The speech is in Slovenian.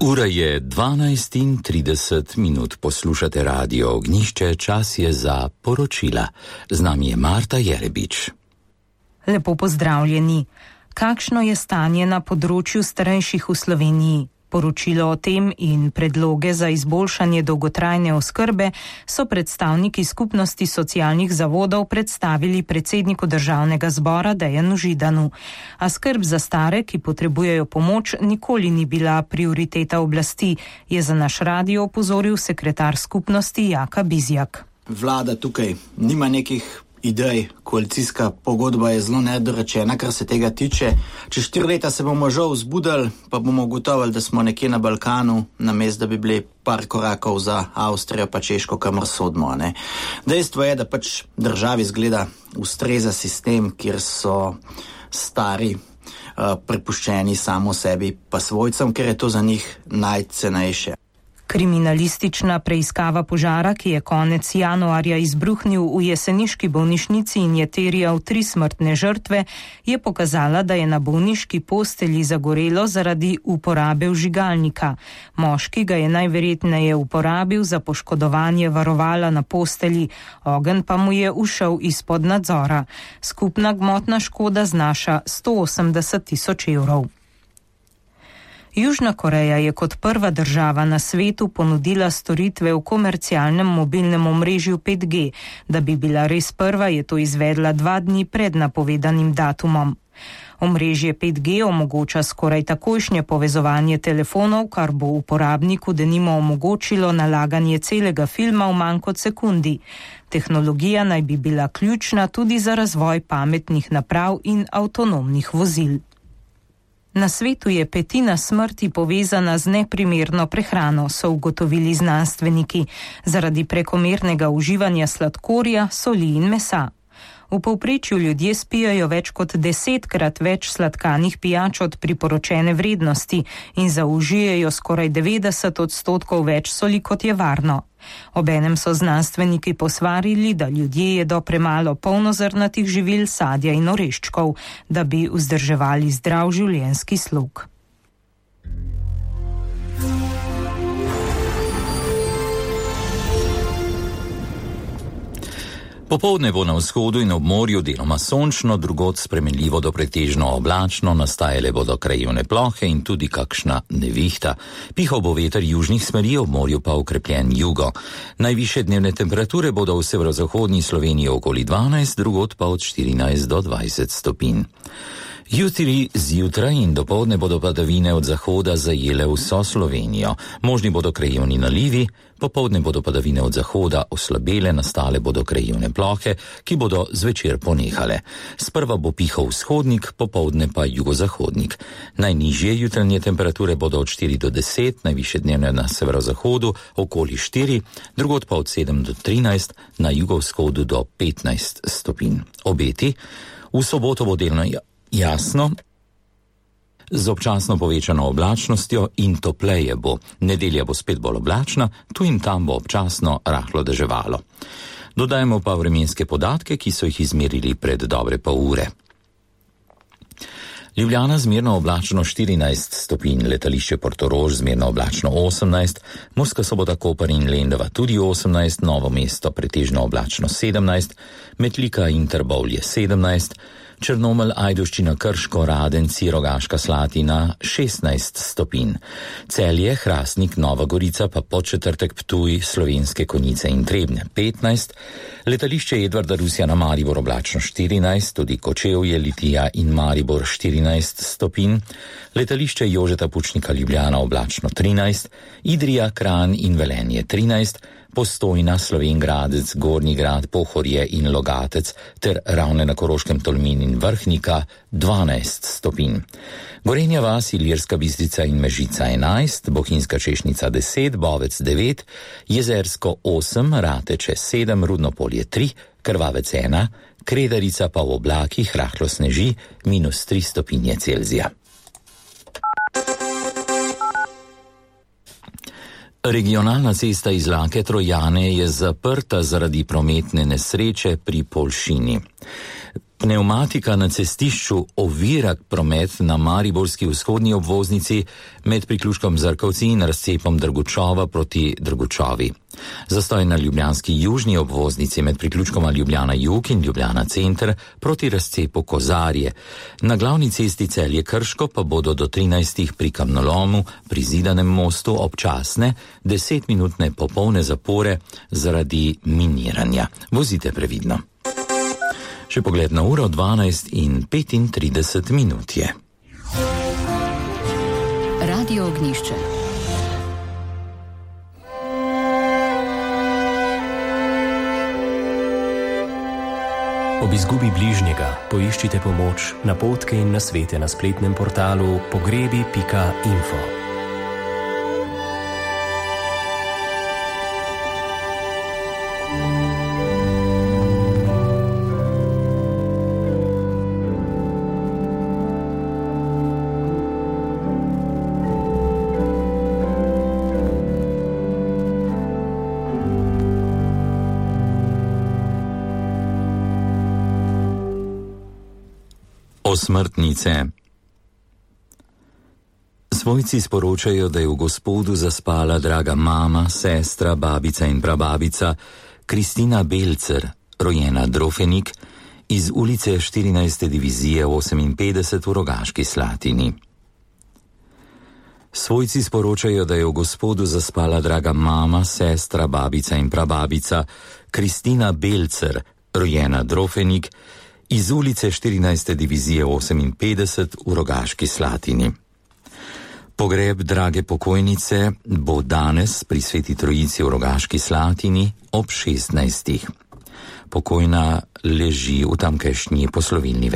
Ura je 12:30, poslušate Radio Ognjišče, čas je za poročila. Z nami je Marta Jerebič. Lepo pozdravljeni. Kakšno je stanje na področju starejših v Sloveniji? Poročilo o tem in predloge za izboljšanje dolgotrajne oskrbe so predstavniki skupnosti socialnih zavodov predstavili predsedniku Državnega zbora Dejanu Židanu. A skrb za stare, ki potrebujejo pomoč, nikoli ni bila prioriteta oblasti, je za naš radio opozoril sekretar skupnosti Jaka Bizjak. Vlada tukaj nima nekih idej, koalicijska pogodba je zelo nedorečena, kar se tega tiče. Čez 4 leta se bomo žal zbudili, pa bomo ugotovili, da smo nekje na Balkanu, namesto da bi bili par korakov za Avstrijo pa Češko, kamor sodimo. Dejstvo je, da pač državi zgleda ustreza sistem, kjer so stari prepuščeni samo sebi pa svojcem, ker je to za njih najcenejše. Kriminalistična preiskava požara, ki je konec januarja izbruhnil v jeseniški bolnišnici in je terjal 3 smrtne žrtve, je pokazala, da je na bolniški postelji zagorelo zaradi uporabe vžigalnika. Moški ga je najverjetneje uporabil za poškodovanje varovala na postelji, ogenj pa mu je ušel izpod nadzora. Skupna gmotna škoda znaša 180 000 evrov. Južna Koreja je kot prva država na svetu ponudila storitve v komercialnem mobilnem omrežju 5G. Da bi bila res prva, je to izvedla 2 dni pred napovedanim datumom. Omrežje 5G omogoča skoraj takojšnje povezovanje telefonov, kar bo uporabniku denimo omogočilo nalaganje celega filma v manj kot sekundi. Tehnologija naj bi bila ključna tudi za razvoj pametnih naprav in avtonomnih vozil. Na svetu je 1/5 smrti povezana z neprimerno prehrano, so ugotovili znanstveniki, zaradi prekomernega uživanja sladkorja, soli in mesa. V povprečju ljudje spijajo več kot 10-krat več sladkanih pijač od priporočene vrednosti in zaužijejo skoraj 90% več soli, kot je varno. Obenem so znanstveniki posvarili, da ljudje jedo premalo polnozrnatih živil, sadja in oreščkov, da bi vzdrževali zdrav življenjski slog. Popoldne bo na vzhodu in ob morju deloma sončno, drugod spremenljivo do pretežno oblačno, nastajale bodo krajevne plohe in tudi kakšna nevihta. Pihal bo veter južnih smeri, ob morju pa okrepljen jugo. Najvišje dnevne temperature bodo v severozahodni Sloveniji okoli 12, drugod pa od 14 do 20 stopinj. Jutri zjutraj in dopoldne bodo padavine od zahoda zajele vso Slovenijo. Možni bodo krajevni nalivi, popoldne bodo padavine od zahoda oslabele, nastale bodo krajevne plohe, ki bodo zvečer ponehale. Sprva bo pihal vzhodnik, popoldne pa jugozahodnik. Najnižje jutranje temperature bodo od 4 do 10, najvišje dnevne na severozahodu okoli 4, drugod pa od 7 do 13, na jugovzhodu do 15 stopinj. Obeti: v soboto bo delno jasno, z občasno povečano oblačnostjo in topleje bo. Nedelja bo spet bolj oblačna, tu in tam bo občasno rahlo deževalo. Dodajmo pa vremenske podatke, ki so jih izmerili pred dobre pol ure. Ljubljana zmerno oblačno 14 stopinj, letališče Portorož zmerno oblačno 18, Murska Sobota, Koper in Lendava tudi 18, Novo mesto pretežno oblačno 17, Metlika in Trbovlje 17, Črnomelj, Ajdovščina, Krško, Radenci, Rogaška Slatina 16 stopinj. Celje, Hrastnik, Nova Gorica pa Podčetrtek, Ptuj, Slovenske Konjice in Trebnje 15, letališče Edvarda Rusjana Maribor oblačno 14, tudi Kočevje, Litija in Maribor 14 stopinj, letališče Jožeta Pučnika Ljubljana oblačno 13, Idrija, Kranj in Velenje 13, Postojna, Slovenj Gradec, Gornji Grad, Pohorje in Logatec ter Ravne na Koroškem, Tolmin in Vrhnika 12 stopinj. Gorenja vas, Ilirska Bistrica in Mežica 11, Bohinjska Češnica 10, Bovec 9, Jezersko 8, Rateče 7, Rudnopolje 3, Krvavec 1, Kredarica pa v oblakih rahlo sneži -3 stopinje Celzija. Regionalna cesta iz Lake Trojane je zaprta zaradi prometne nesreče pri Poljšini. Pneumatika na cestišču ovira promet na mariborski vzhodni obvoznici med priključkom Zrkovci in razcepom Drgučova proti Drgučovi. Zastoj na ljubljanski južni obvoznici med priključkoma Ljubljana Jug in Ljubljana Center proti razcepu Kozarje. Na glavni cesti Celje Krško pa bodo do 13. pri kamnolomu pri Zidanem mostu občasne 10-minutne popolne zapore zaradi miniranja. Vozite previdno. Še pogled na uro 12:35 je. Radio Ognjišče. Ob izgubi bližnjega poiščite pomoč, napotke in nasvete na spletnem portalu pogrebi.info. Smrtnice. Svojci sporočajo, da je v Gospodu zaspala draga mama, sestra, babica in prababica Kristina Belcer, rojena Drofenik, iz ulice 14. divizije 58 v Rogaški Slatini. Svojci sporočajo, da je v Gospodu zaspala draga mama, sestra, babica in prababica Kristina Belcer, rojena Drofenik, iz ulice 14. divizije 58 v Rogaški Slatini. Pogreb drage pokojnice bo danes pri Sveti Trojici v Rogaški Slatini ob 16. Pokojna leži v tamkajšnji poslovilni